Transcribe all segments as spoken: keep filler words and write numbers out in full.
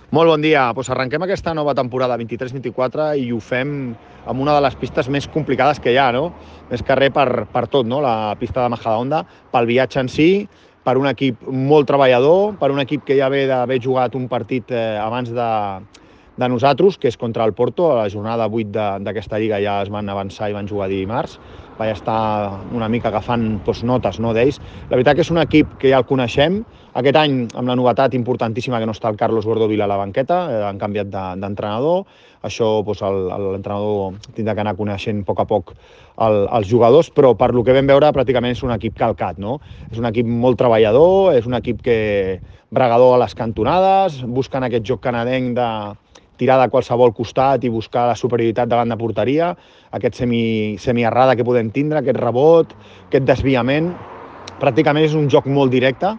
Molt bon dia. Pues arrenquem aquesta nova temporada vint-i-tres vint-i-quatre i ho fem amb una de les pistes més complicades que hi ha, no? Més que res per, per tot, no? La pista de Majadahonda, pel viatge en si, per un equip molt treballador, per un equip que ja ve d'haver jugat un partit eh, abans de, de nosaltres, que és contra el Porto. A la jornada vuit d'aquesta lliga ja es van avançar i van jugar dimarts. Vaig estar una mica agafant doncs, notes no, d'ells. La veritat que és un equip que ja el coneixem. Aquest any, amb la novetat importantíssima que no està el Carlos Bordovil a la banqueta, eh, han canviat d'entrenador. Això doncs, l'entrenador tindrà que anar coneixent a poc a poc el, els jugadors, però per lo que vam veure pràcticament és un equip calcat, no? És un equip molt treballador, és un equip que bregador a les cantonades, busquen aquest joc canadenc de tirar de qualsevol costat i buscar la superioritat davant de porteria, aquest semi, semi-errada que podem tindre, aquest rebot, aquest desviament. Pràcticament és un joc molt directe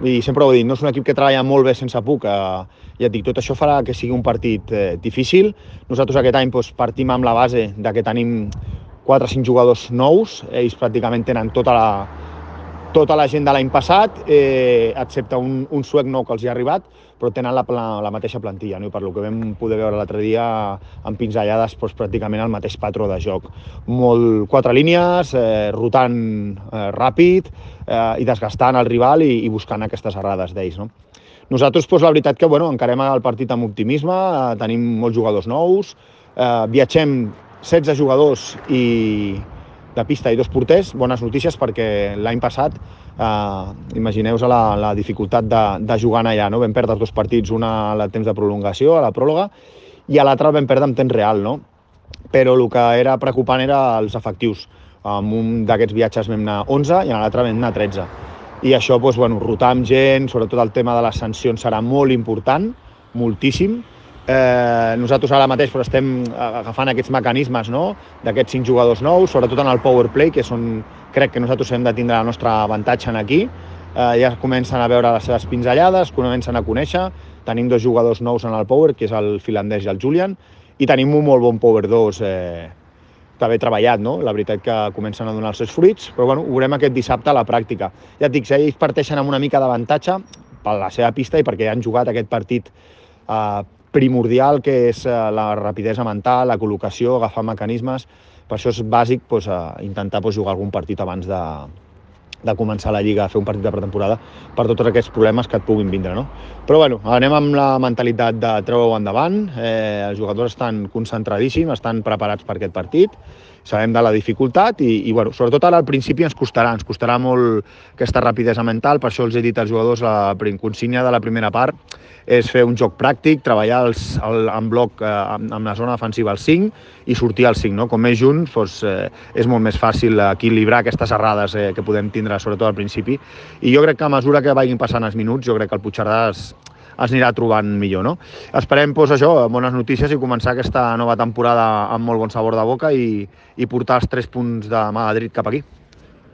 i sempre ho he dit, no és un equip que treballa molt bé sense puc. Eh, ja et dic, tot això farà que sigui un partit eh, difícil. Nosaltres aquest any doncs, partim amb la base de que tenim quatre o cinc jugadors nous, ells pràcticament tenen tota la, tota la gent de l'any passat, eh, excepte un, un suec nou que els hi ha arribat, però tenen la, la, la mateixa plantilla, no? I per lo que vam poder veure l'altre dia amb pinzellades, doncs, pràcticament el mateix patró de joc. Molt, quatre línies, eh, rotant eh, ràpid eh, i desgastant el rival i, i buscant aquestes errades d'ells, no? Nosaltres, doncs, la veritat que bueno, encarem el partit amb optimisme, eh, tenim molts jugadors nous, eh, viatgem setze jugadors i de pista i dos porters. Bones notícies perquè l'any passat, eh, imagineu-vos la, la dificultat de, de jugar allà, no? Vam perdre dos partits, una a temps de prolongació, a la pròrroga, i a l'altra el vam perdre en temps real, no? Però el que era preocupant era els efectius. En un d'aquests viatges vam anar onze i en l'altre vam anar tretze. I això, doncs, bueno, rotar amb gent, sobretot el tema de les sancions serà molt important, moltíssim. Eh, nosaltres ara mateix però estem agafant aquests mecanismes, no? D'aquests cinc jugadors nous, sobretot en el power play, que són, crec que nosaltres hem de tindre el nostre avantatge aquí. Eh, ja comencen a veure les seves pinzellades, comencen a conèixer. Tenim dos jugadors nous en el power, que és el finlandès i el Julian, i tenim un molt bon power dos eh, que bé treballat, no? La veritat que comencen a donar els seus fruits, però bueno, ho veurem aquest dissabte a la pràctica. Ja et dic, si ells parteixen amb una mica d'avantatge per la seva pista i perquè han jugat aquest partit eh, primordial, que és la rapidesa mental, la col·locació, agafar mecanismes. Per això és bàsic doncs, intentar doncs, jugar algun partit abans de, de començar la Lliga, fer un partit de pretemporada, per tots aquests problemes que et puguin vindre, no? Però bueno, anem amb la mentalitat de treure-ho endavant. Eh, els jugadors estan concentradíssims, estan preparats per aquest partit, sabem de la dificultat i, i bueno, sobretot ara al principi ens costarà, ens costarà molt aquesta rapidesa mental. Per això els he dit als jugadors, la consigna de la primera part és fer un joc pràctic, treballar els, el, en bloc eh, amb, amb la zona defensiva al cinc i sortir al cinc, no? Com més junts doncs, eh, és molt més fàcil equilibrar aquestes errades eh, que podem tindre sobretot al principi, i jo crec que a mesura que vagin passant els minuts jo crec que el Puigcerdà es, es anirà trobant millor, no? Esperem doncs, això, bones notícies i començar aquesta nova temporada amb molt bon sabor de boca i, i portar els tres punts de Madrid cap aquí.